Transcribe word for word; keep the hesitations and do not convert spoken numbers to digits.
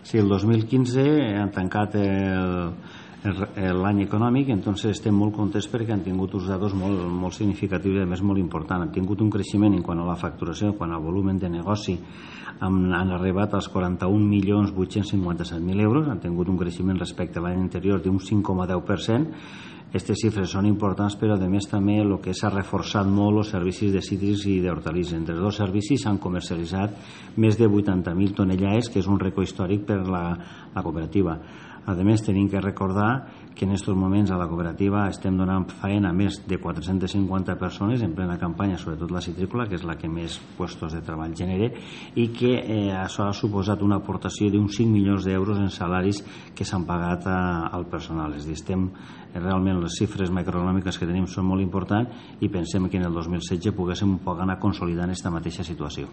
Sí, el dos mil quinze han tancat l'any econòmic, entonces estem molt contents perquè han tingut uns dades molt, molt significatius i a més molt importants. Han tingut un creixement en quant a la facturació, quan al volum de negoci han, han arribat als quaranta-un milions vuit-cents cinquanta-set mil euros, han tingut un creixement respecte a l'any anterior d'un cinc coma deu per cent. Aquestes xifres són importants, però a més també el que s'ha reforçat molt els servicis de cítrics i d'hortalisses. Entre els dos servicis s'han comercialitzat més de vuitanta mil tonellades, que és un rècord històric per la, la cooperativa. A més, tenim que recordar que en aquests moments a la cooperativa estem donant feina a més de quatre-centes cinquanta persones en plena campanya, sobretot la citrícola, que és la que més puestos de treball genera, i que eh, això ha suposat una aportació d'uns cinc milions d'euros en salaris que s'han pagat a, al personal. És a dir, estem, realment les xifres macroeconòmiques que tenim són molt importants i pensem que en el dos mil setze poguéssim un poc anar consolidant aquesta mateixa situació.